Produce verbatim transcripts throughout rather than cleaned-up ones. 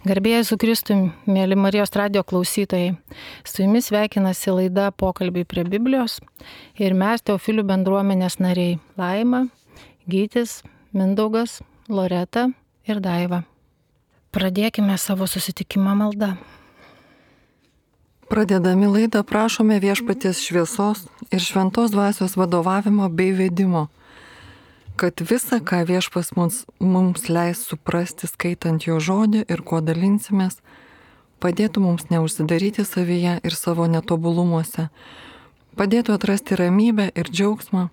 Garbėjai su Kristumi, mėly Marijos radijo klausytojai. Su jumis sveikinasi laida Pokalbiai prie Biblijos ir mes Teofilių bendruomenės nariai Laima, Gytis, Mindaugas, Loreta ir Daiva. Pradėkime savo susitikimą maldą. Pradėdami laidą prašome viešpaties šviesos ir šventos dvasios vadovavimo bei vedimo, kad visa, ką viešpas mums, mums leis suprasti skaitant jo žodį ir kuo dalinsimės, padėtų mums neužsidaryti savyje ir savo netobulumuose, padėtų atrasti ramybę ir džiaugsmą,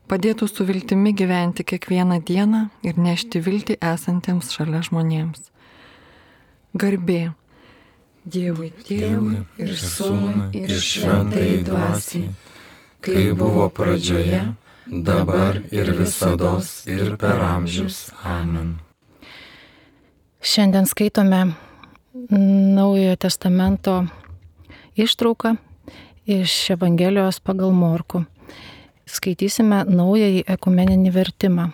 padėtų su viltimi gyventi kiekvieną dieną ir nešti viltį esantiems šalia žmonėms. Garbė Dievui, Tėvui ir Sūnui ir Šventajai Dvasiai, kai buvo pradžioje, dabar ir visados ir per amžius. Amen. Šiandien skaitome Naujojo testamento ištrauką iš Evangelijos pagal Morkų. Skaitysime naująjį ekumeninį vertimą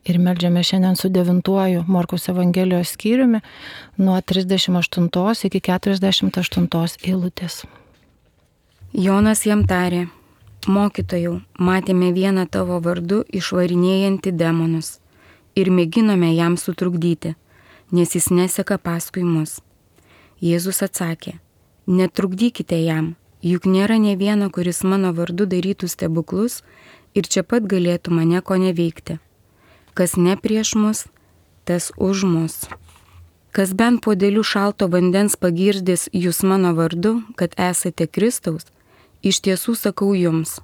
ir meldžiame šiandien su devintuoju Morkaus Evangelijos skyriumi nuo trisdešimt aštuntos iki keturiasdešimt aštuntos eilutės. Jonas jam tarė: Mokytojau, matėme vieną tavo vardu išvarinėjantį demonus ir mėginome jam sutrukdyti, nes jis neseka paskui mus. Jėzus atsakė: Netrukdykite jam, juk nėra nė vieno, kuris mano vardu darytų stebuklus ir čia pat galėtų mane ko neveikti. Kas ne prieš mus, tas už mus. Kas bent puodeliu šalto vandens pagirdės jūs mano vardu, kad esate Kristaus, iš tiesų sakau jums,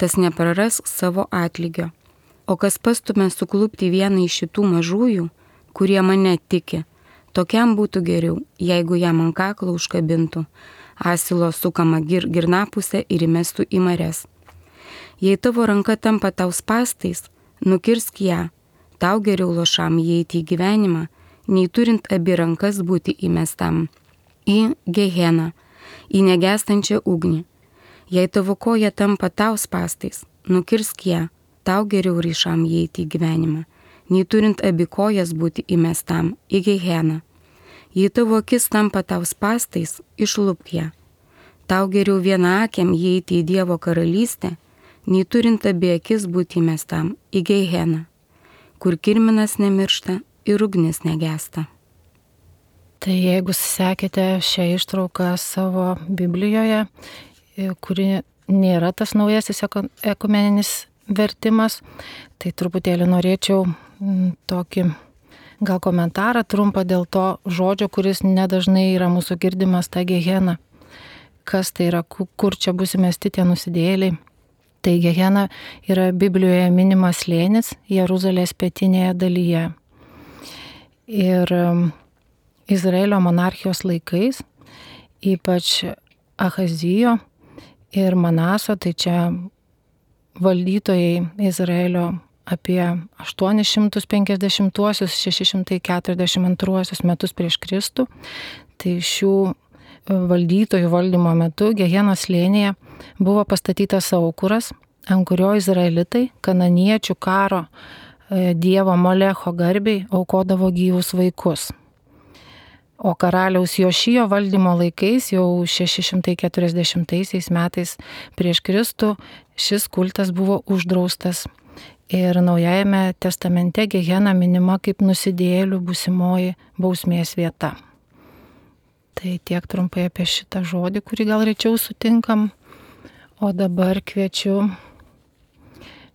tas nepraras savo atlygio. O kas pastumia suklupti vieną iš šitų mažųjų, kurie mane tiki, tokiam būtų geriau, jeigu jam ant kaklo užkabintų asilo sukamą gir girnapusę ir įmestų į marias. Jei tavo ranka tampa tau spąstais, nukirsk ją, tau geriau lošam įeiti į gyvenimą, nei turint abi rankas būti įmestam į Geheną, į negęstančią ugnį. Jei tavo koja tampa tau spąstais, nukirsk ją, tau geriau ryšam įeiti į gyvenimą, nei turint abi kojas būti įmestam į Geheną. Jei tavo akis tampa tau spąstais, išlupk ją. Tau geriau viena akiam įeiti į Dievo karalystę, nei turint abi akis būti įmestam į Geheną, kur kirminas nemiršta ir ugnis negęsta. Tai jeigu sekėte šią ištrauką savo Biblijoje, kuri nėra tas naujasis ekumeninis vertimas, tai truputėlį norėčiau tokį gal komentarą trumpą dėl to žodžio, kuris nedažnai yra mūsų girdimas, ta Gehena. Kas tai yra, kur čia bus įmesti tie nusidėjėliai? Tai Gehena yra Biblijoje minimas slėnis Jeruzalės pietinėje dalyje. Ir Izraelio monarchijos laikais, ypač Ahazijo ir Manaso, tai čia valdytojai Izraelio apie aštuonis šimtus penkiasdešimtuosius - šeši šimtai keturiasdešimt antruosius metus prieš Kristų. Tai šių valdytojų valdymo metu Gehenos slėnyje buvo pastatytas aukuras, ant kurio izraelitai kananiečių karo dievo Molecho garbei aukodavo gyvus vaikus. O karaliaus Jošijo valdymo laikais, jau šeši šimtai keturiasdešimtaisiais metais prieš Kristų, šis kultas buvo uždraustas. Ir Naujajame testamente Gehena minima kaip nusidėjėlių būsimoji bausmės vieta. Tai tiek trumpai apie šitą žodį, kurį gal rečiau sutinkam. O dabar kviečiu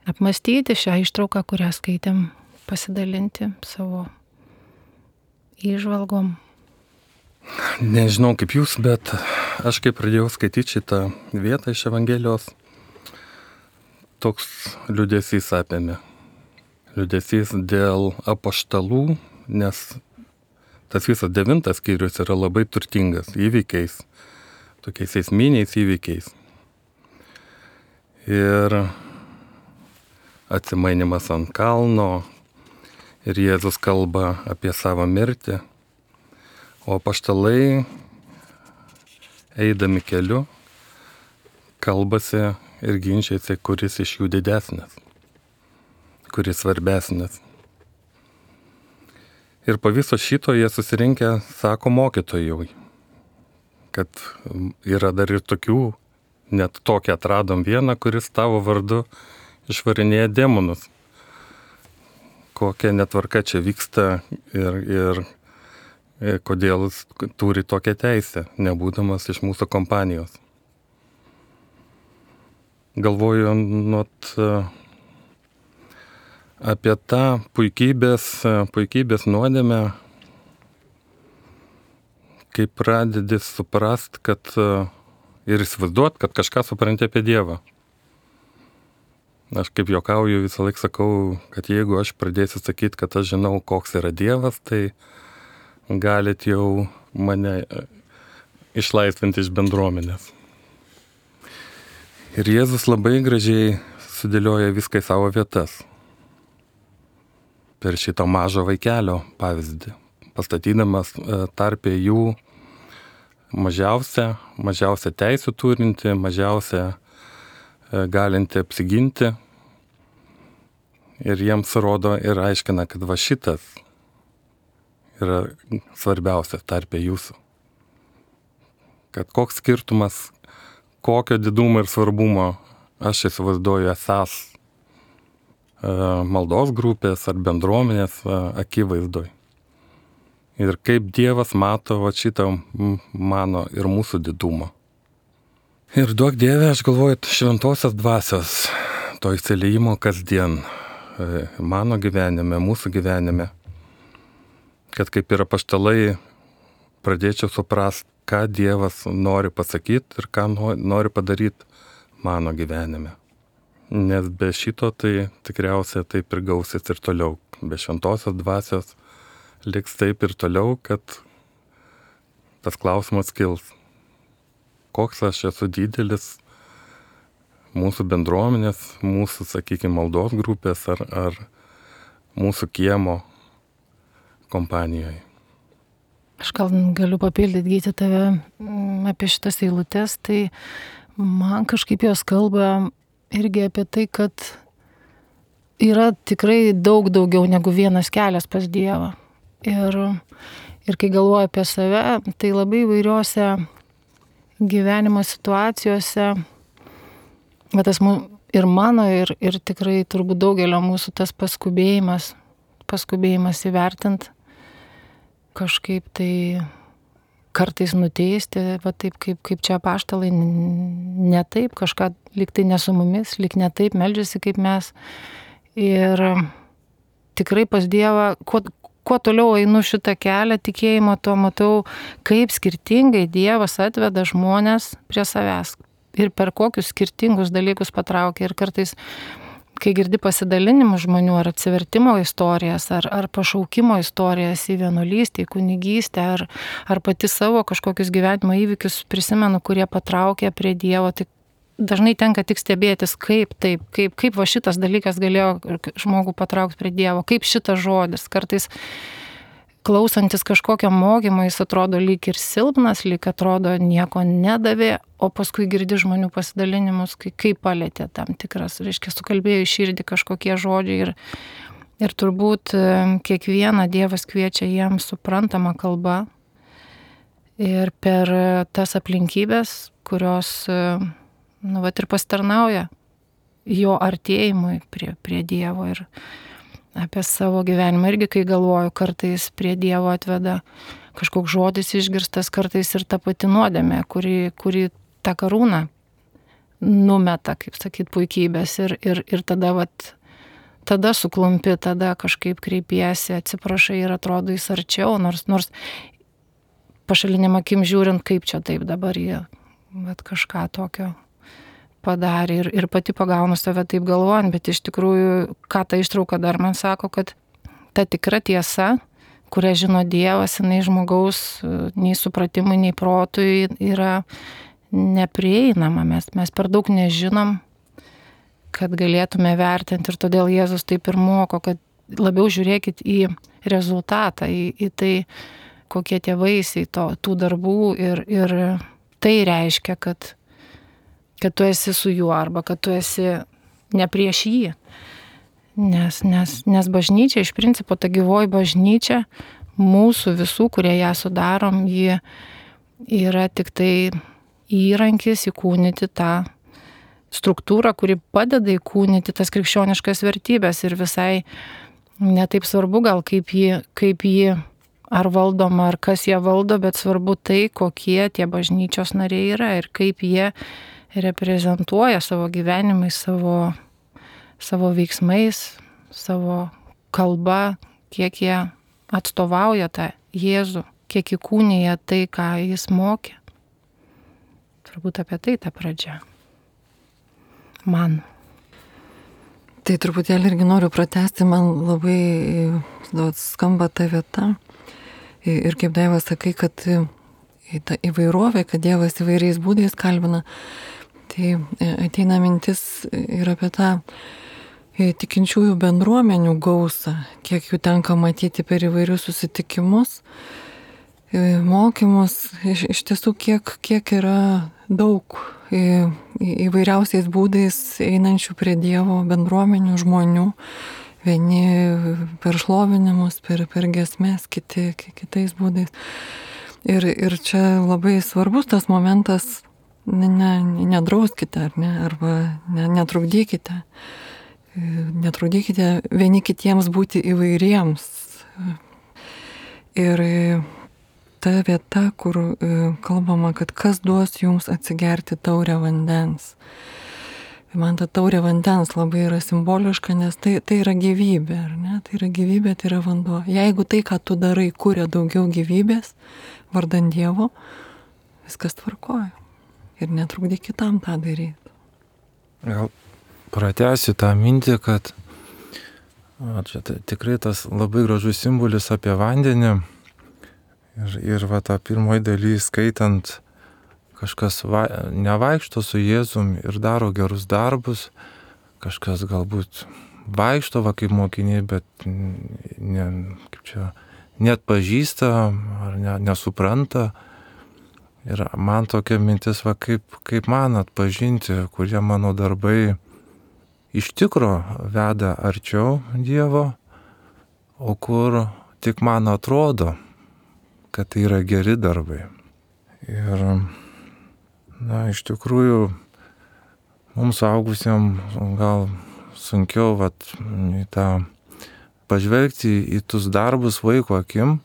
apmastyti šią ištrauką, kurią skaitėm, pasidalinti savo įžvalgom. Nežinau kaip jūs, bet aš kai pradėjau skaityti šitą vietą iš Evangelijos, toks liūdesys apėmė. Liūdesys dėl apaštalų, nes tas visas devintas skyrius yra labai turtingas įvykiais, tokiais esminiais įvykiais. Ir atsimainimas ant kalno, ir Jėzus kalba apie savo mirtį, o apaštalai, eidami keliu, kalbasi ir ginčiasi, kuris iš jų didesnis, kuris svarbesnis. Ir po viso šito jie susirinkę sako mokytojui, kad yra dar ir tokių, net tokį atradom vieną, kuris tavo vardu išvarinėja demonus. Kokia netvarka čia vyksta ir, ir, ir kodėl jis turi tokią teisę, nebūdamas iš mūsų kompanijos. Galvoju nuot apie tą puikybės, puikybės nuodėmę, kai pradedi suprast, kad ir įsivaizduot, kad kažką supranti apie Dievą. Aš kaip juokauju visą laiką sakau, kad jeigu aš pradėsiu sakyti, kad aš žinau, koks yra Dievas, tai galit jau mane išlaisvinti iš bendruomenės. Ir Jėzus labai gražiai sudėlioja viską į savo vietas. Per šito mažo vaikelio pavyzdį, pastatydamas tarpė jų mažiausią, mažiausią teisų turinti, mažiausią galinti apsiginti. Ir jiems rodo ir aiškina, kad va šitas yra svarbiausias tarpė jūsų. Kad koks skirtumas, kokio didumo ir svarbumo aš įsivaizduoju esas maldos grupės ar bendruomenės akivaizdoj. Ir kaip Dievas mato va šitą mano ir mūsų didumą. Ir duok Dieve, aš galvoju, šventosios dvasios, to įsiliejimo kasdien mano gyvenime, mūsų gyvenime, kad kaip ir apaštalai pradėčiau suprast, ką Dievas nori pasakyti ir ką nori padaryti mano gyvenime. Nes be šito tai tikriausiai taip ir gausis ir toliau. Be šventosios dvasios liks taip ir toliau, kad tas klausimas kils. Koks aš esu didelis mūsų bendruomenės, mūsų, sakykime, maldos grupės ar, ar mūsų kiemo kompanijoje. Aš gal galiu papildyti Gyti tave apie šitas eilutes, tai man kažkaip jos kalba irgi apie tai, kad yra tikrai daug daugiau negu vienas kelias pas Dievą. Ir, ir kai galvoju apie save, tai labai įvairiose gyvenimo situacijose, bet tas ir mano, ir, ir tikrai turbūt daugelio mūsų tas paskubėjimas, paskubėjimas įvertint, kažkaip tai kartais nuteisti, va taip kaip, kaip čia apaštalai, ne taip, kažką lyg tai ne su mumis, lyg ne taip meldžiasi kaip mes. Ir tikrai pas Dievą, kuo, kuo toliau einu šitą kelią tikėjimo, to matau, kaip skirtingai Dievas atveda žmonės prie savęs ir per kokius skirtingus dalykus patraukia. Ir kartais, kai girdi pasidalinimus žmonių ar atsivertimo istorijas, ar, ar pašaukimo istorijas į vienuolystę, į kunigystę, ar, ar pati savo kažkokius gyvenimo įvykius prisimenu, kurie patraukia prie Dievo, tai dažnai tenka tik stebėtis, kaip taip, kaip, kaip va šitas dalykas galėjo žmogų patraukti prie Dievo, kaip šitas žodis. Kartais klausantis kažkokio mokymo, jis atrodo lyg ir silpnas, lyg atrodo nieko nedavė, o paskui girdi žmonių pasidalinimus, kai, kaip palėtė tam tikras, reiškia, sukalbėjo į širdį kažkokie žodžiai ir, ir turbūt kiekvieną Dievas kviečia jiems suprantamą kalbą ir per tas aplinkybės, kurios, nu, vat ir pasitarnauja jo artėjimui prie, prie Dievo. Ir apie savo gyvenimą irgi, kai galvoju, kartais prie Dievo atveda kažkoks žodis išgirstas, kartais ir ta pati nuodėmė, kuri, kuri tą karūną numeta, kaip sakyt, puikybės ir, ir, ir tada, vat, tada suklumpi, tada kažkaip kreipiesi, atsiprašai ir atrodo jis arčiau, nors, nors pašaliniam akim žiūrint, kaip čia taip dabar jie vat, kažką tokio padarė ir, ir pati pagaunu save taip galvojant, bet iš tikrųjų, ką ta ištrauka dar man sako, kad ta tikra tiesa, kurią žino Dievas, jinai žmogaus nei supratimui, nei protui yra neprieinama. Mes, mes per daug nežinom, kad galėtume vertinti ir todėl Jėzus taip ir moko, kad labiau žiūrėkit į rezultatą, į, į tai, kokie tie vaisiai to, tų darbų ir, ir tai reiškia, kad kad tu esi su juo arba kad tu esi ne prieš jį. Nes, nes, nes bažnyčia, iš principo ta gyvoji bažnyčia, mūsų visų, kurie ją sudarom, ji yra tik tai įrankis įkūnyti tą struktūrą, kuri padeda įkūnyti tas krikščioniškas vertybės ir visai netaip svarbu gal kaip jį, kaip jį ar valdoma, ar kas ją valdo, bet svarbu tai, kokie tie bažnyčios nariai yra ir kaip jie reprezentuoja savo gyvenimais, savo, savo veiksmais, savo kalba, kiek jie atstovauja tą Jėzų, kiek įkūnija tai, ką jis mokė. Turbūt apie tai ta pradžia. Man. Tai truputėlį irgi noriu pratesti, man labai daug skamba ta vieta. Ir kaip Dievas sakai, kad ta įvairovė, kad Dievas įvairiais būdais kalbina, tai ateina mintis ir apie tą tikinčiųjų bendruomenių gausą, kiek jų tenka matyti per įvairius susitikimus, mokymus, iš, iš tiesų kiek, kiek yra daug į, įvairiausiais būdais einančių prie Dievo bendruomenių žmonių, vieni per šlovinimus, per, per giesmės, kiti kitais būdais. Ir, ir čia labai svarbus tas momentas, ne, ne, nedrauskite, ar ne, arba ne, netrukdykite. Netrukdykite vieni kitiems būti įvairiems. Ir ta vieta, kur kalbama, kad kas duos jums atsigerti taurę vandens. Man ta taurė vandens labai yra simboliška, nes tai, tai yra gyvybė, ar ne? Tai yra gyvybė, tai yra vanduo. Jeigu tai, ką tu darai, kuria daugiau gyvybės, vardan Dievo, viskas tvarkoja. Ir netrukdyk kitam tą daryti. Gal pratęsiu tą mintį, kad o, čia tai, tikrai tas labai gražus simbolis apie vandenį. Ir, ir va tą pirmoji daly skaitant, kažkas va, nevaikšto su Jėzum ir daro gerus darbus, kažkas galbūt vaikšto va kaip mokiniai, bet ne, kaip čia, net pažįsta ar ne, nesupranta. Ir man tokia mintis, va kaip, kaip man atpažinti, kurie mano darbai iš tikro veda arčiau Dievo, o kur tik man atrodo, kad tai yra geri darbai. Ir na, iš tikrųjų, mums augusiems gal sunkiau vat, į tą pažvelgti į tus darbus vaiko akim.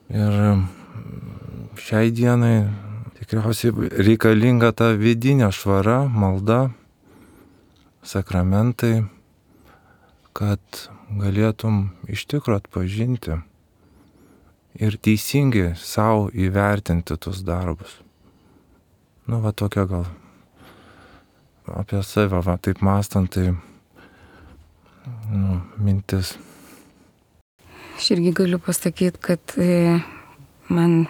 Ir šiai dienai tikriausiai reikalinga ta vidinė švara, malda, sakramentai, kad galėtum iš tikro atpažinti ir teisingai savo įvertinti tus darbus. Nu, va tokia gal apie save, va taip mąstant, tai nu, mintis. Aš irgi galiu pasakyti, kad e, man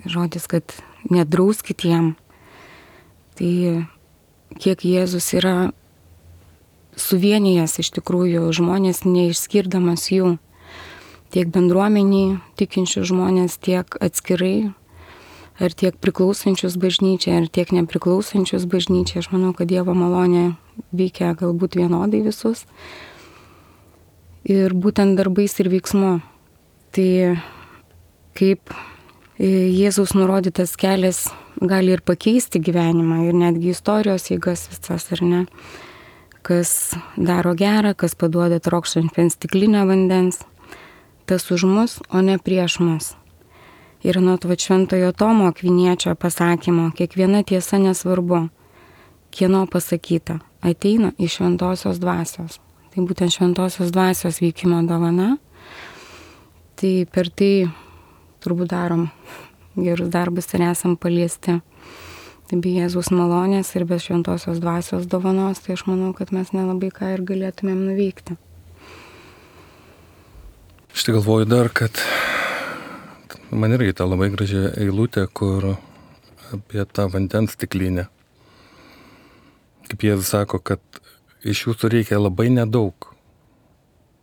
žodis, kad nedrauskit jam, tai kiek Jėzus yra suvienijęs iš tikrųjų žmonės, neišskirdamas jų, tiek bendruomeniai tikinčių žmonės, tiek atskirai, ar tiek priklausančius bažnyčiai, ar tiek nepriklausančius bažnyčiai. Aš manau, kad Dievo malonė veikia galbūt vienodai visus. Ir būtent darbais ir veiksmu. Tai kaip Jėzaus nurodytas kelias gali ir pakeisti gyvenimą, ir netgi istorijos eigas visas, ar ne? Kas daro gerą, kas paduoda trokštančiam stiklinę vandens, tas už mus, o ne prieš mus. Ir nuo to šventojo Tomo Akviniečio pasakymo, kiekviena tiesa nesvarbu, kieno pasakyta, ateina iš šventosios dvasios. Tai būtent šventosios dvasios veikimo dovana. Tai per tai turbūt darom gerus darbus ir esam paliesti. Tai be Jėzaus malonės ir be šventosios dvasios dovanos, tai aš manau, kad mes nelabai ką ir galėtumėm nuveikti. Aš tai galvoju dar, kad man irgi ta labai graži eilutė, kur apie tą vandens stiklinę. Kaip Jėzus sako, kad iš jūsų reikia labai nedaug,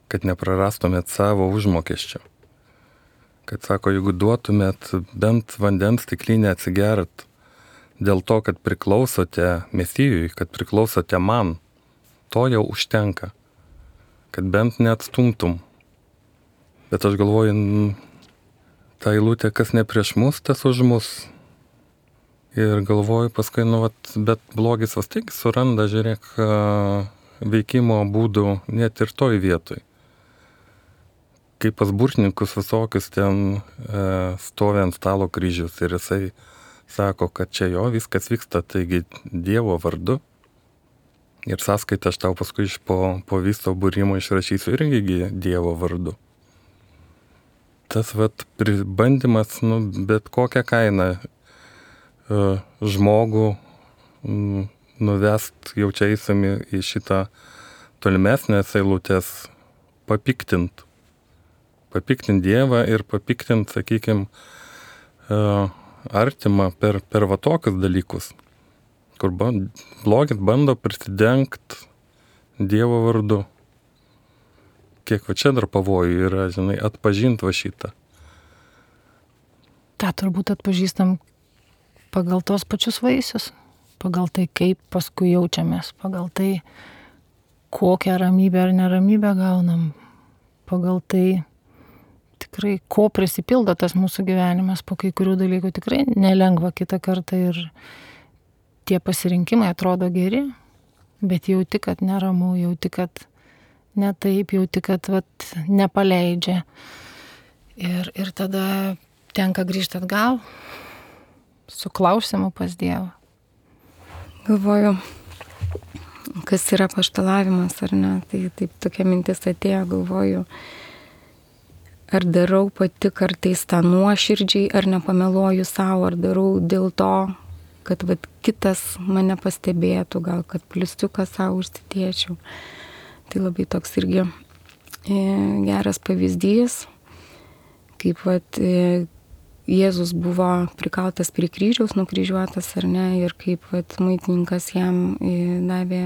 kad neprarastumėt savo užmokesčio. Kad sako, jeigu duotumėt bent vandens stiklinę atsigert dėl to, kad priklausote Mesijui, kad priklausote man, to jau užtenka. Kad bent neatstumtum. Bet aš galvoju, ta eilutė, kas ne prieš mus, tas už mus. Ir galvoju paskui, nu, vat, bet blogis vis tiek suranda, žiūrėk, veikimo būdų net ir toj vietoj. Kaip pas burtininkus visokius ten e, stovi ant stalo kryžius ir jisai sako, kad čia jo viskas vyksta, taigi Dievo vardu. Ir sąskaitą aš tau paskui iš po, po viso būrimo išrašysiu irgi Dievo vardu. Tas vat bandymas, nu, bet kokią kainą e, žmogų m, nuvest jau čia eisami į šitą tolimesnės eilutės papiktint. Papiktint Dievą ir papiktint, sakykime, artimą per, per va tokius dalykus, kur blogis bando prisidengti Dievo vardu. Kiek va čia dar pavojų yra, žinai, atpažinti va šitą. Ta turbūt atpažįstam pagal tos pačius vaisius, pagal tai, kaip paskui jaučiamės, pagal tai, kokią ramybę ar neramybę gaunam, pagal tai, tikrai, ko prisipildo tas mūsų gyvenimas, po kai kurių dalykų tikrai nelengva kitą kartą ir tie pasirinkimai atrodo geri, bet jauti, kad neramu, jauti, kad ne taip, jauti, kad vat, nepaleidžia. Ir, ir tada tenka grįžti atgal su klausimu pas Dievą. Galvoju, kas yra paštalavimas ar ne, tai taip tokia mintis atėjo, galvoju, ar darau pati kartais tą nuoširdžiai, ar nepameluoju savo, ar darau dėl to, kad vat, kitas mane pastebėtų, gal kad pliustiuką savo užsidėčiau. Tai labai toks irgi e, geras pavyzdys, kaip vat, e, Jėzus buvo prikaltas prie kryžiaus, nukryžiuotas ar ne, ir kaip vat, muitininkas jam e, davė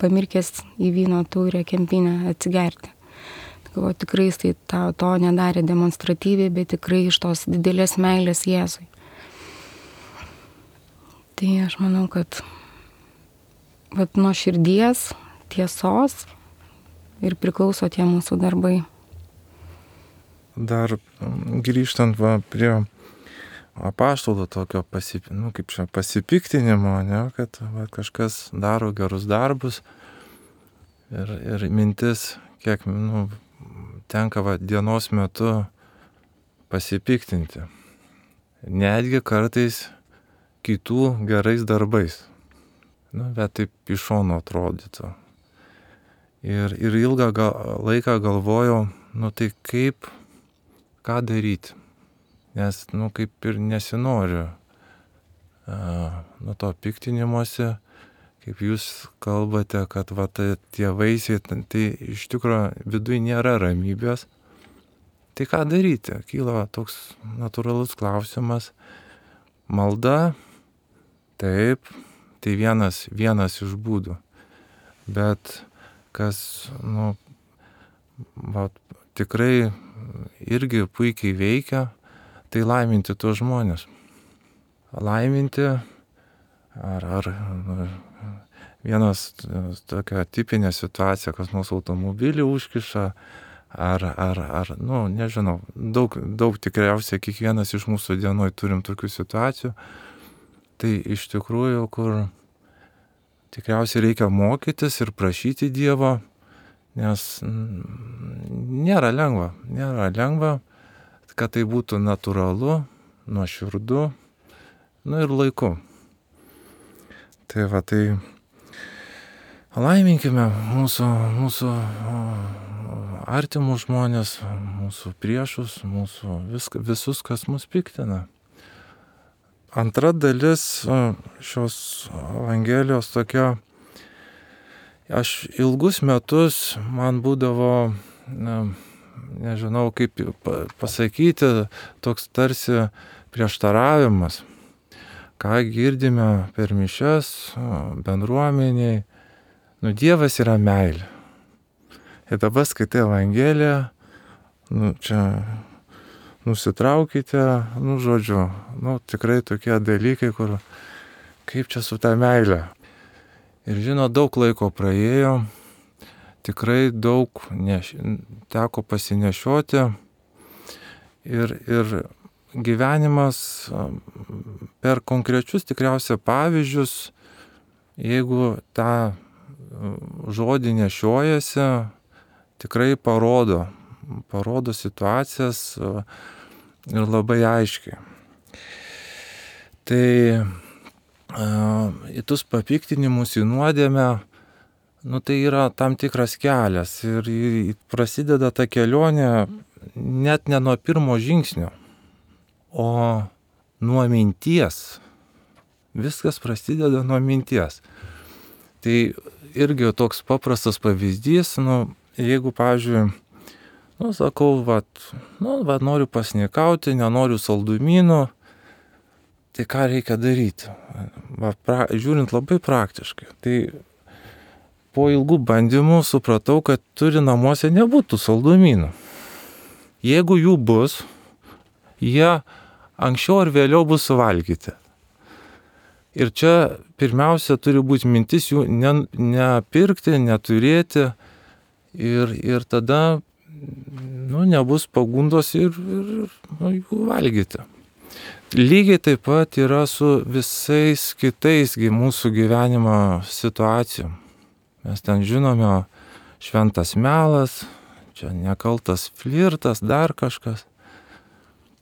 pamirkęs į vyno taurę kempinę atsigerti. O tikrai jis tai to, to nedarė demonstratyviai, bet tikrai iš tos didelės meilės Jėzui. Tai aš manau, kad vat, nuo širdies, tiesos ir priklauso tie mūsų darbai. Dar grįžtant va, prie apaštalų tokio pasip, nu, kaip čia, pasipiktinimo, ne, kad va, kažkas daro gerus darbus ir, ir mintis, kiek, nu, tenka va, dienos metu pasipiktinti. Netgi kartais kitų gerais darbais. Nu, bet taip iš šono atrodytų. Ir, ir ilgą gal, laiką galvojau, nu tai kaip, ką daryti. Nes, nu, kaip ir nesinoriu a, nu to piktinimuose, kaip jūs kalbate, kad va, tai, tie vaisiai, tai iš tikrųjų viduje nėra ramybės. Tai ką daryti? Kyla toks natūralus klausimas. Malda, taip, tai vienas, vienas iš būdų. Bet kas, nu, va, tikrai irgi puikiai veikia, tai laiminti tuos žmonės. Laiminti, ar, ar nu, vienas tokia tipinė situacija, kas mūsų automobilį užkiša, ar, ar, ar nu, nežinau, daug, daug tikriausiai kiekvienas iš mūsų dienoj turim tokių situacijų. Tai iš tikrųjų, kur tikriausiai reikia mokytis ir prašyti Dievo, nes nėra lengva, nėra lengva, kad tai būtų natūralu, nuoširdu, nu ir laiku. Tai va, tai laiminkime mūsų, mūsų artimus žmonės, mūsų priešus, mūsų vis, visus, kas mus piktina. Antra dalis šios Evangelijos tokia, aš ilgus metus man būdavo, na, nežinau kaip pasakyti, toks tarsi prieštaravimas, ką girdime per mišias, bendruomeniai. Nu, Dievas yra meilė. Ir dabar skaitai Evangeliją, nu, čia nusitraukite, nu, žodžiu, nu, tikrai tokie dalykai, kur kaip čia su ta meilė. Ir žinot, daug laiko praėjo, tikrai daug neš, teko pasinešioti ir, ir gyvenimas per konkrečius tikriausiai pavyzdžius, jeigu tą žodį nešiojasi, tikrai parodo, parodo situacijas ir labai aiškiai. Tai į tus papiktinimus, į nuodėmę, nu, tai yra tam tikras kelias ir prasideda ta kelionė net ne nuo pirmo žingsnio, o nuo minties. Viskas prasideda nuo minties. Tai irgi toks paprastas pavyzdys, nu, jeigu, pavyzdžiui, nu, sakau, vat, nu, vat, noriu pasnikauti, nenoriu saldumynų, tai ką reikia daryti? Va, pra, žiūrint labai praktiškai. Tai po ilgų bandymų supratau, kad turi namuose nebūtų saldumynų. Jeigu jų bus, jie anksčiau ar vėliau bus suvalgyti. Ir čia pirmiausia turi būti mintis jų ne, nepirkti, neturėti ir, ir tada nu, nebus pagundos ir, ir nu, jų valgyti. Lygiai taip pat yra su visais kitais mūsų gyvenimo situacijom. Mes ten žinome šventas melas, čia nekaltas flirtas, dar kažkas.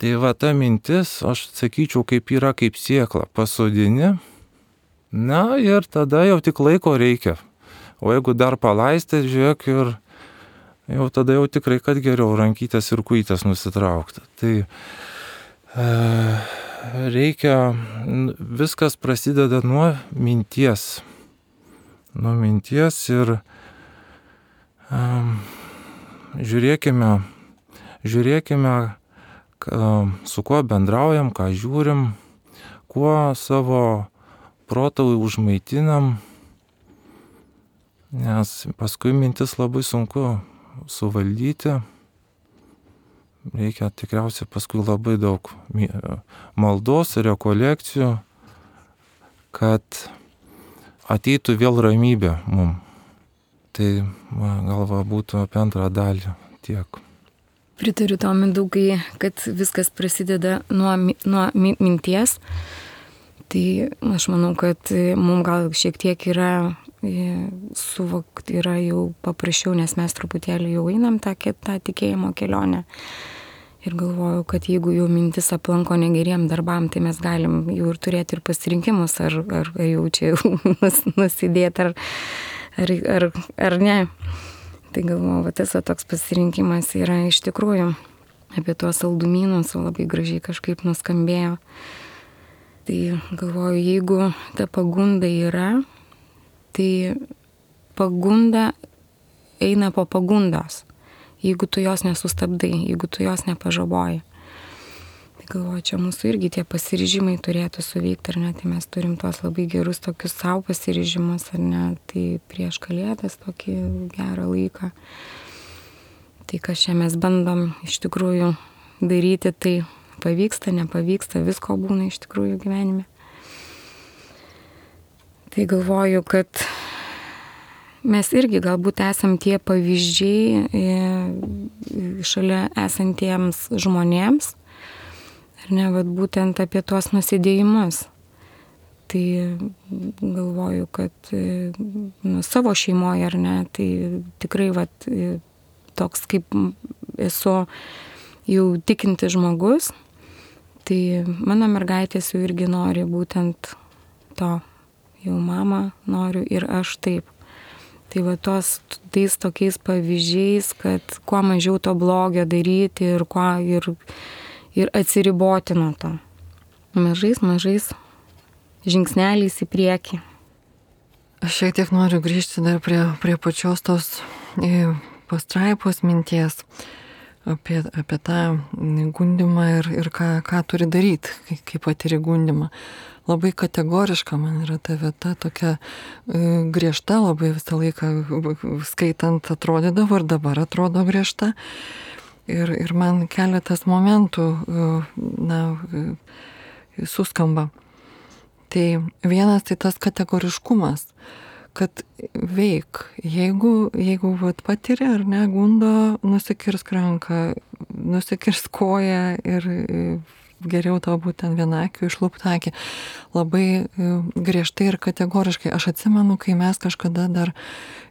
Tai va ta mintis, aš sakyčiau, kaip yra kaip sėkla, pasodini, na ir tada jau tik laiko reikia. O jeigu dar palaistė, žiūrėk, ir jau tada jau tikrai, kad geriau rankytės ir kujytės nusitraukti. Tai e, reikia, viskas prasideda nuo minties. Nuo minties ir um, žiūrėkime, žiūrėkime, su kuo bendraujam, ką žiūrim, kuo savo protą užmaitinam, nes paskui mintis labai sunku suvaldyti. Reikia tikriausiai paskui labai daug maldos ir rekolekcijų, kad ateitų vėl ramybė mum. Tai galva būtų apie antrą dalį tiek. Pritariu tau, Mindaugai, kad viskas prasideda nuo, nuo minties. Tai aš manau, kad mums gal šiek tiek yra suvokti, yra jau paprasčiau, nes mes truputėlį jau einam tą, tą tikėjimo kelionę. Ir galvoju, kad jeigu jau mintis aplanko negeriem darbam, tai mes galim jau ir turėti ir pasirinkimus, ar, ar, ar jau čia nus, nusidėti, ar, ar, ar, ar ne. Tai galvoju, va, tas va, toks pasirinkimas yra iš tikrųjų apie tuos saldumynus, labai gražiai kažkaip nuskambėjo. Tai galvoju, jeigu ta pagunda yra, tai pagunda eina po pagundos. Jeigu tu jos nesustabdai, jeigu tu jos nepažaboji. Tai galvoju, čia mūsų irgi tie pasiryžimai turėtų suveikti, ar ne, tai mes turim tuos labai gerus tokius savo pasiryžimus, ar ne, tai prieš Kalėdas tokį gerą laiką. Tai kas čia mes bandom iš tikrųjų daryti, tai pavyksta, nepavyksta, visko būna iš tikrųjų gyvenime. Tai galvoju, kad mes irgi galbūt esam tie pavyzdžiai šalia esantiems žmonėms, ar ne, vat būtent apie tuos nusidėjimus. Tai galvoju, kad nu, savo šeimoje, ar ne, tai tikrai vat, toks kaip esu jau tikinti žmogus, tai mano mergaitės jau irgi nori būtent to, jau mama noriu ir aš taip. Tai va tos, tais tokiais pavyzdžiais, kad kuo mažiau to blogio daryti ir, kuo, ir, ir atsiriboti nuo to. Mažais, mažais žingsneliais į priekį. Aš šiek tiek noriu grįžti dar prie, prie pačios tos pastraipos minties apie, apie tą gundymą ir, ir ką, ką turi daryti, kai, kai patiri gundymą. Labai kategoriška man yra ta vieta, tokia e, griežta, labai visą laiką skaitant atrodydavo ir dabar atrodo griežta. Ir, ir man keletas momentų e, na, e, suskamba. Tai vienas tai tas kategoriškumas, kad veik, jeigu, jeigu vat, patiri ar ne, gundo, nusikirsk ranką, nusikirsk koją ir geriau tau būtent vienakiu išlūpti akį. Labai griežtai ir kategoriškai. Aš atsimenu, kai mes kažkada dar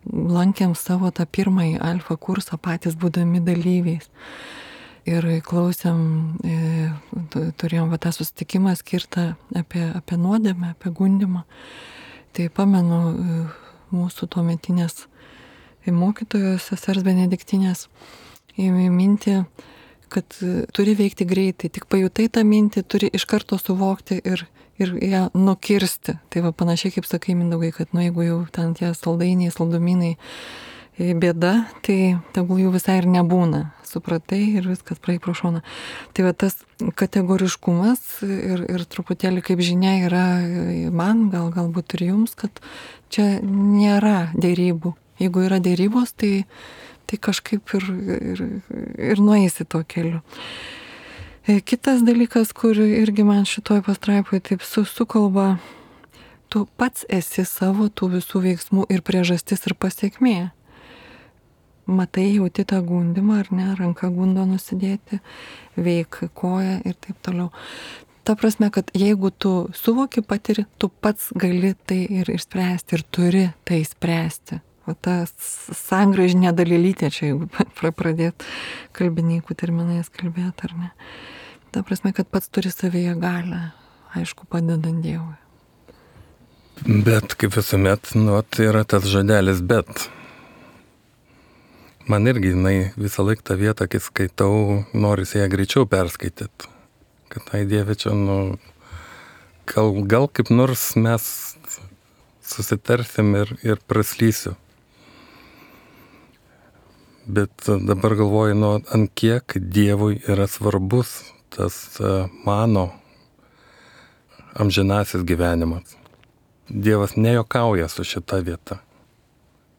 lankėm savo tą pirmąjį alfa kursą, patys būdami dalyviais. Ir klausėm, turėjom va, tą susitikimą skirtą apie, apie nuodėmę, apie gundimą. Tai pamenu mūsų tuometinės mokytojos, sesers Benediktinės, ėmė mintį, kad turi veikti greitai, tik pajutai tą mintį, turi iš karto suvokti ir, ir ją nukirsti. Tai va panašiai kaip sakai, Mindaugai, kad nu, jeigu jau ten tie saldainiai, saldumynai bėda, tai tegul jų visai ir nebūna. Supratai ir viskas praeik pro šoną. Tai va tas kategoriškumas ir, ir truputėlį kaip žinia yra man, gal galbūt ir jums, kad čia nėra dėrybų. Jeigu yra dėrybos, tai, tai kažkaip ir, ir, ir nueisi tuo keliu. Kitas dalykas, kur irgi man šitoj pastraipoje taip su, sukalba, tu pats esi savo tų visų veiksmų ir priežastis ir pasiekmė. Matai, jauti tą gundimą, ar ne, ranką gundo nusidėti, veik koją ir taip toliau. Ta prasme, kad jeigu tu suvoki, patiri, tu pats gali tai ir išspręsti ir turi tai spręsti. O ta sangraižinė dalelytė čia, jeigu pradėt kalbininkų terminais kalbėti, ar ne. Ta prasme, kad pats turi savyje galią, aišku, padedant Dievui. Bet kaip visuomet, nu, tai yra tas žodelis bet. Man irgi, jinai visą laiką tą vietą, kai skaitau, norisi ją greičiau perskaityti. Kad tai Dieve čia, nu, gal, gal kaip nors mes susitarsim ir, ir praslysiu. Bet dabar galvoju, nu, ant kiek Dievui yra svarbus tas mano amžinasis gyvenimas. Dievas nejokauja su šita vieta,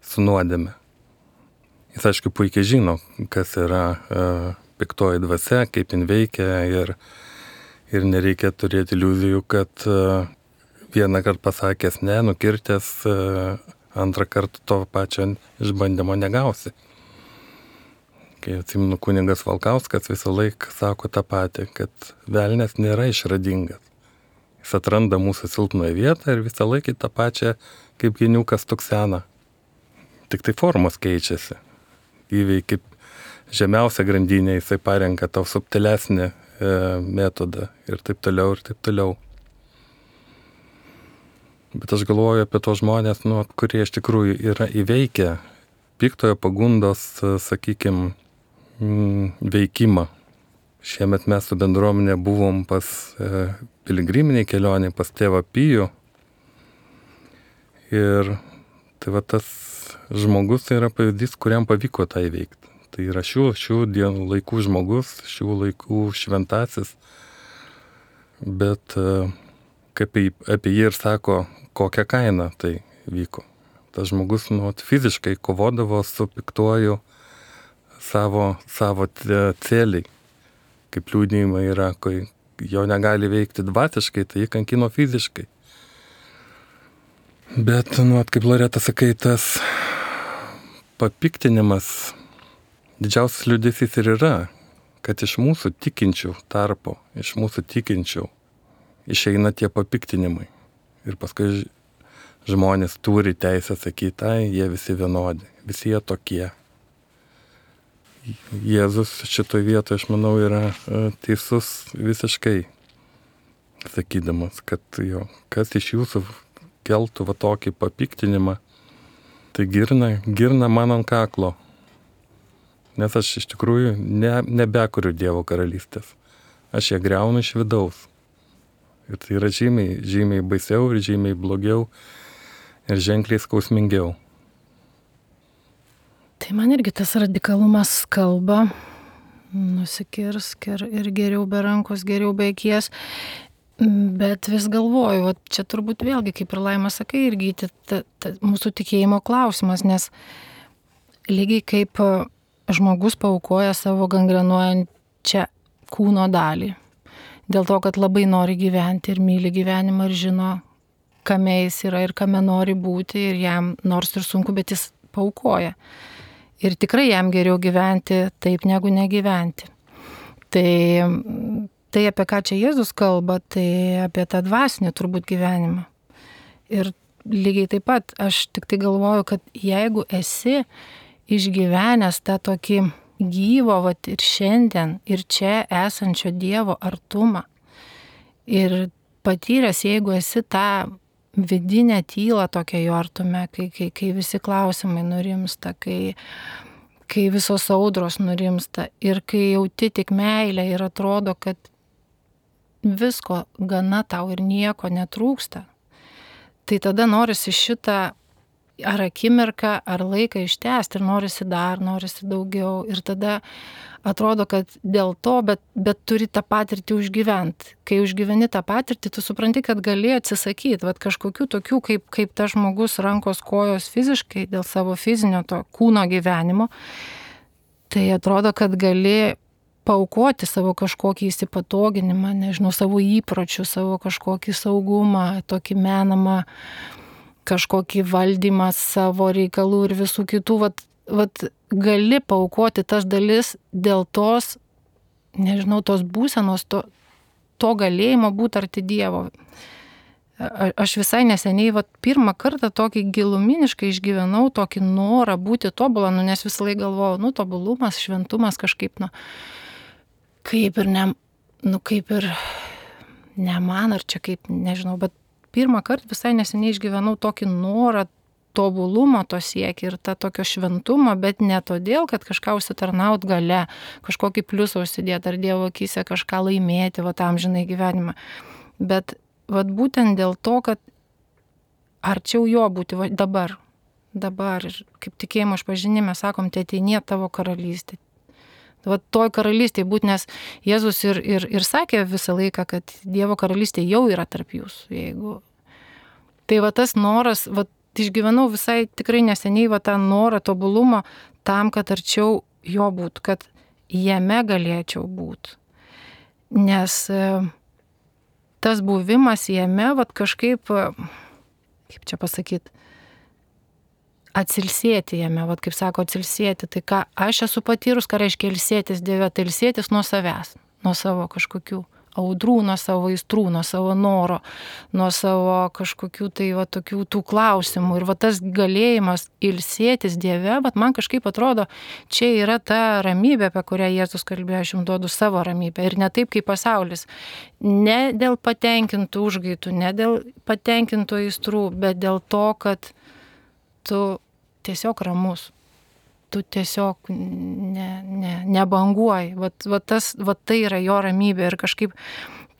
su nuodėme. Jis, aišku, puikiai žino, kas yra e, piktoji dvasia, kaip jin veikia ir, ir nereikia turėti iliuzijų, kad e, vieną kartą pasakęs ne, nukirtęs, e, antrą kartą to pačio išbandymo negausi. Kai atsimenu, kunigas Valkauskas visą laiką sako tą patį, kad velnias nėra išradingas. Jis atranda mūsų silpnoje vietą ir visą laiką tą pačią kaip geniukas tuksena. Tik tai formos keičiasi. Įvei kaip žemiausia grandinė, jisai parenka tau subtilesnį e, metodą ir taip toliau, ir taip toliau. Bet aš galvoju apie tos žmonės, nu, kurie iš tikrųjų yra įveikę piktojo pagundos, sakykime, veikimą. Šiemet mes su bendruomenė buvom pas e, piligriminiai kelionė, pas tėvą Pijų. Ir tai va tas žmogus tai yra pavyzdys, kuriam pavyko tą įveikti. Tai yra šių, šių dienų laikų žmogus, šių laikų šventasis. Bet kaip apie jį ir sako, kokią kainą tai vyko. Tas žmogus nu, fiziškai kovodavo su piktuoju savo, savo celiai. Kaip liūdėjimai yra, kai jo negali veikti dvasiškai, tai jį kankino fiziškai. Bet, nu, kaip Loreta sakai, tas papiktinimas, didžiausias liūdesys ir yra, kad iš mūsų tikinčių tarpo, iš mūsų tikinčių išeina tie papiktinimai. Ir paskui žmonės turi teisę sakyti, tai jie visi vienodi, visi jie tokie. Jėzus šitoje vietoje, aš manau, yra teisus visiškai, sakydamas, kad jo, kas iš jūsų keltų va tokį papiktinimą, tai girna, girna man ant kaklo. Nes aš iš tikrųjų ne, nebekuriu Dievo karalystės. Aš ją griaunu iš vidaus. Ir tai yra žymiai, žymiai baisiau ir žymiai blogiau ir ženkliai skausmingiau. Tai man irgi tas radikalumas kalba, nusikirsk ir, ir geriau be rankos, geriau be akies. Bet vis galvoju, o čia turbūt vėlgi, kaip ir Laima sakai, irgi ta, ta, mūsų tikėjimo klausimas, nes lygiai kaip žmogus paaukoja savo gangrenuojančią kūno dalį, dėl to, kad labai nori gyventi ir myli gyvenimą ir žino, kame jis yra ir kame nori būti ir jam nors ir sunku, bet jis paaukoja. Ir tikrai jam geriau gyventi taip, negu negyventi. Tai, tai apie ką čia Jėzus kalba, tai apie tą dvasinį turbūt gyvenimą. Ir lygiai taip pat aš tik tai galvoju, kad jeigu esi išgyvenęs tą tokį gyvo vat, ir šiandien, ir čia esančio Dievo artumą, ir patyręs, jeigu esi tą vidinę tylą tokią jo artume, kai, kai, kai visi klausimai nurimsta, kai, kai visos audros nurimsta ir kai jauti tik meilę ir atrodo, kad visko gana tau ir nieko netrūksta, tai tada norisi šitą ar akimirką, ar laiką ištęsti ir norisi dar, norisi daugiau ir tada atrodo, kad dėl to, bet, bet turi tą patirtį užgyventi. Kai užgyveni tą patirtį, tu supranti, kad gali atsisakyti, vat kažkokių tokių, kaip, kaip tas žmogus rankos kojos fiziškai dėl savo fizinio to kūno gyvenimo, tai atrodo, kad gali paaukoti savo kažkokį įsipatoginimą, nežinau, savo įpročių, savo kažkokį saugumą, tokį menamą kažkokį valdymą savo reikalų ir visų kitų, vat, vat gali paaukoti tas dalis dėl tos, nežinau, tos būsenos, to, to galėjimo būti arti Dievo. A, aš visai neseniai, vat, pirmą kartą tokį giluminiškai išgyvenau tokį norą būti tobulą, nu, nes visą laiką galvojau, nu, tobulumas, šventumas kažkaip, nu, kaip ir ne, nu, kaip ir ne man, ar čia kaip, nežinau, bet pirmą kartą visai neseniai išgyvenau tokį norą tobulumo to siekį ir tą tokio šventumo, bet ne todėl, kad kažką užsitarnaut gale, kažkokį pliusą užsidėti ar Dievo akyse kažką laimėti, va tam žinai gyvenimą. Bet vat būtent dėl to, kad arčiau jo būti va, dabar, dabar ir kaip tikėjimo išpažinime sakom, tai ateinie tavo karalystė. Va toj karalystėje būt, nes Jėzus ir, ir, ir sakė visą laiką, kad Dievo karalystė jau yra tarp jūsų. Jeigu... Tai va tas noras, va išgyvenau visai tikrai neseniai va tą norą tobulumo tam, kad arčiau jo būt, kad jame galėčiau būt. Nes tas buvimas jame, va kažkaip, kaip čia pasakyti, atsilsėti jame, vat kaip sako, atsilsėti, tai ką aš esu patyrus, ką reiškia ilsėtis Dieve, tai ilsėtis nuo savęs, nuo savo kažkokių audrų, nuo savo aistrų, nuo savo noro, nuo savo kažkokių tai va tokių tų klausimų. Ir va tas galėjimas ilsėtis Dieve, bet man kažkaip atrodo, čia yra ta ramybė, apie kurią Jėzus kalbėjo, aš jums duodu savo ramybę. Ir ne taip kaip pasaulis. Ne dėl patenkintų užgaitų, ne dėl patenkintų aistrų, bet dėl to, kad tu tiesiog ramus, tu tiesiog ne, ne, nebanguoji, vat, vat tas, vat tai yra jo ramybė ir kažkaip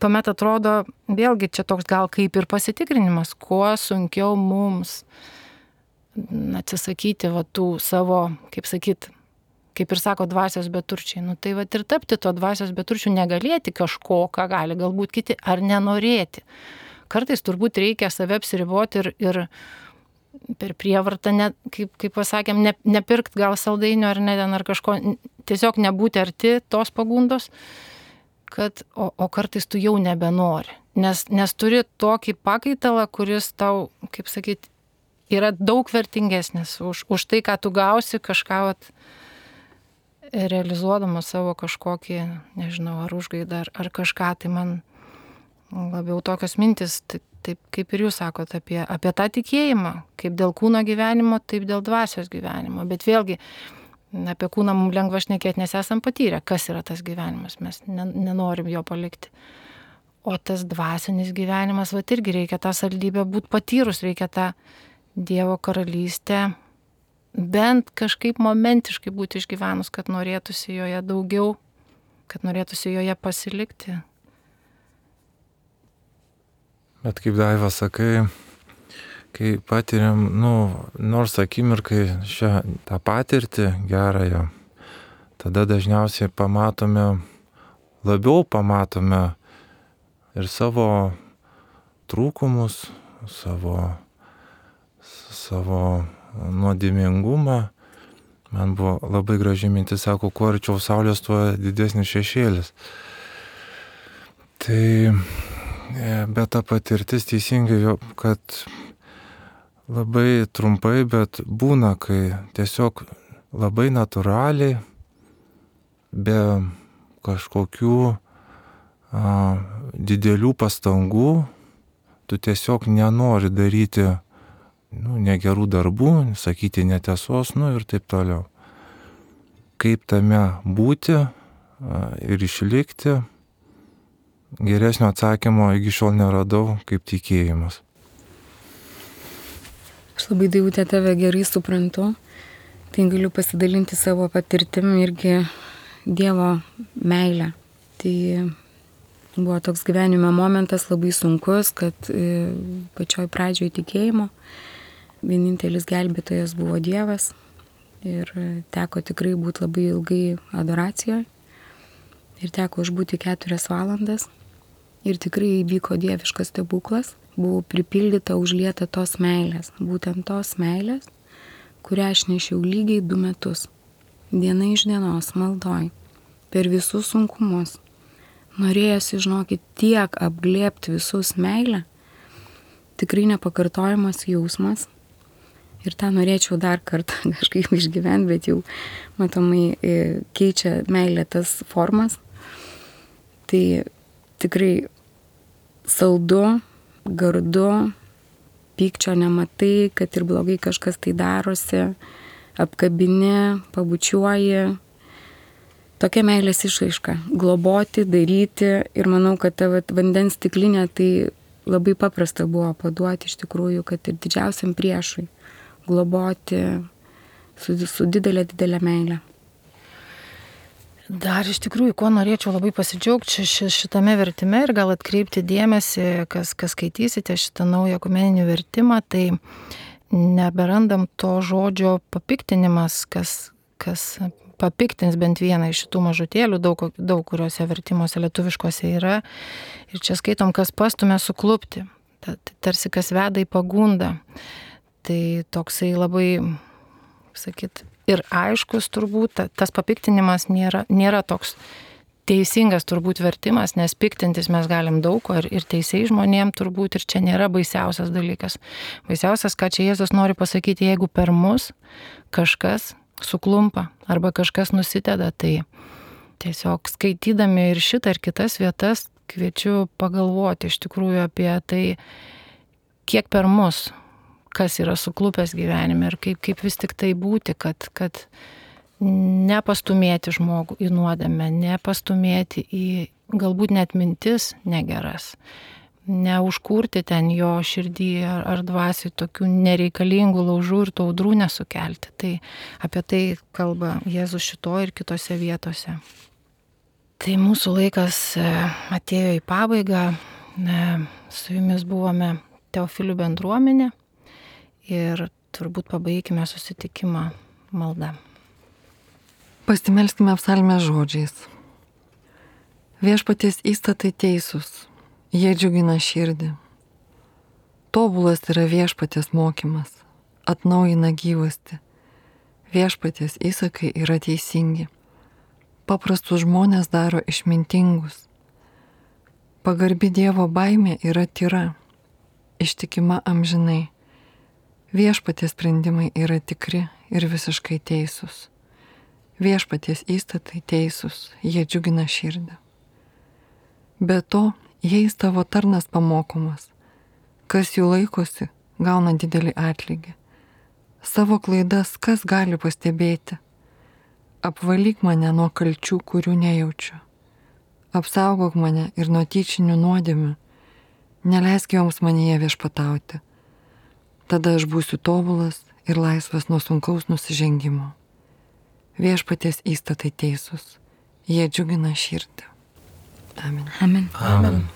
tuomet atrodo, vėlgi čia toks gal kaip ir pasitikrinimas, kuo sunkiau mums atsisakyti vat tų savo, kaip sakyt, kaip ir sako, dvasios beturčiai, nu tai vat ir tapti to dvasios beturčių, negalėti kažko, ką gali galbūt kiti, ar nenorėti. Kartais turbūt reikia save apsiriboti ir, ir per prievartą, ne, kaip, kaip pasakėm, ne, nepirkt gal saldainio ar ne ten ar kažko, tiesiog nebūti arti tos pagundos, kad, o, o kartais tu jau nebenori. Nes, nes turi tokį pakaitalą, kuris tau, kaip sakyt, yra daug vertingesnis už, už tai, ką tu gausi kažką vat, realizuodamas savo kažkokį, nežinau, ar užgaidą, ar, ar kažką, tai man labiau tokios mintis, tai, taip kaip ir jūs sakot, apie, apie tą tikėjimą, kaip dėl kūno gyvenimo, taip dėl dvasios gyvenimo. Bet vėlgi, apie kūną mums lengva šnekėti, nes esam patyrę, kas yra tas gyvenimas, mes nenorim jo palikti. O tas dvasinis gyvenimas, va irgi reikia tą saldybę būti patyrus, reikia tą Dievo karalystę bent kažkaip momentiškai būti išgyvenus, kad norėtųsi joje daugiau, kad norėtųsi joje pasilikti. Bet kaip Daiva sakai, kai patiriam, nu, nors akimirkai šią tą patirtį gerąją, tada dažniausiai pamatome, labiau pamatome ir savo trūkumus, savo, savo nuodėmingumą. Man buvo labai graži mintis, sako, kuo arčiau saulės, tuo didesnis šešėlis. Tai bet ta patirtis teisingai, kad labai trumpai, bet būna, kai tiesiog labai natūraliai, be kažkokių a, didelių pastangų, tu tiesiog nenori daryti nu, negerų darbų, sakyti netiesos, nu ir taip toliau. Kaip tame būti a, ir išlikti, geresnio atsakymo iki šiol neradau kaip tikėjimas. Aš labai, Daivute, tave gerai suprantu, tai galiu pasidalinti savo patirtim irgi Dievo meilę. Tai buvo toks gyvenime momentas labai sunkus, kad pačioj pradžioj tikėjimo vienintelis gelbėtojas buvo Dievas ir teko tikrai būti labai ilgai adoracijoje ir teko išbūti keturias valandas ir tikrai įvyko dieviškas stebuklas. Buvau pripildyta, užlieta tos meilės, būtent tos meilės, kurią aš nešiau lygiai du metus, diena iš dienos maldoj, per visus sunkumus. Norėjosi, žinokit, tiek apglėbti visus meilę, tikrai nepakartojamas jausmas. Ir tą norėčiau dar kartą kažkaip išgyventi, bet jau matomai keičia meilė tas formas. Tai tikrai saldu, gardu, pykčio nematai, kad ir blogai kažkas tai darosi, apkabini, pabučiuoji. Tokia meilės išraiška. Globoti, daryti ir manau, kad ta vandens stiklinė tai labai paprasta buvo paduoti iš tikrųjų, kad ir didžiausiam priešui globoti su, su didelė, didelė meilė. Dar iš tikrųjų, ko norėčiau labai pasidžiaugti šitame vertime ir gal atkreipti dėmesį, kas, kas skaitysite šitą naują ekumeninį vertimą, tai neberandam to žodžio papiktinimas, kas, kas papiktins bent vieną iš šitų mažutėlių, daug, daug kuriuose vertimuose lietuviškose yra. Ir čia skaitom, kas pastumia suklupti, tarsi kas veda į pagundą. Tai toksai labai, sakyt, ir aiškus turbūt, tas papiktinimas nėra, nėra toks teisingas turbūt vertimas, nes piktintis mes galim daug ko ir, ir teisiai žmonėm turbūt, ir čia nėra baisiausias dalykas. Baisiausias, ką čia Jėzus nori pasakyti, jeigu per mus kažkas suklumpa arba kažkas nusiteda, tai tiesiog skaitydami ir šitą ir kitas vietas kviečiu pagalvoti iš tikrųjų apie tai, kiek per mus kas yra suklupęs gyvenime ir kaip, kaip vis tik tai būti, kad, kad nepastumėti žmogų į nuodėmę, nepastumėti į galbūt net mintis negeras, neužkurti ten jo širdį ar, ar dvasiai tokių nereikalingų laužų ir tų audrų nesukelti. Tai apie tai kalba Jėzus šitoje ir kitose vietose. Tai mūsų laikas atėjo į pabaigą, su jumis buvome Teofilių bendruomenė. Ir turbūt pabaigime susitikimą maldą. Pasimelskime psalmės žodžiais. Viešpaties įstatai teisūs, jie džiugina širdį. Tobulas yra viešpaties mokymas, atnaujina gyvastį. Viešpaties įsakai yra teisingi. Paprastus žmonės daro išmintingus. Pagarbi Dievo baimė yra tyra, ištikima amžinai. Viešpaties sprendimai yra tikri ir visiškai teisūs. Viešpaties įstatai teisūs, jie džiugina širdį. Be to, jais tavo tarnas pamokomas. Kas jų laikosi, gauna didelį atlygį. Savo klaidas kas gali pastebėti? Apvalyk mane nuo kalčių, kurių nejaučiu. Apsaugok mane ir nuo tyčinių nuodėmių. Neleisk joms manyje viešpatauti. Tada aš būsiu tobulas ir laisvas nuo sunkaus nusižengimo. Viešpaties įstatai teisūs, jie džiugina širdį. Amen. Amen. Amen.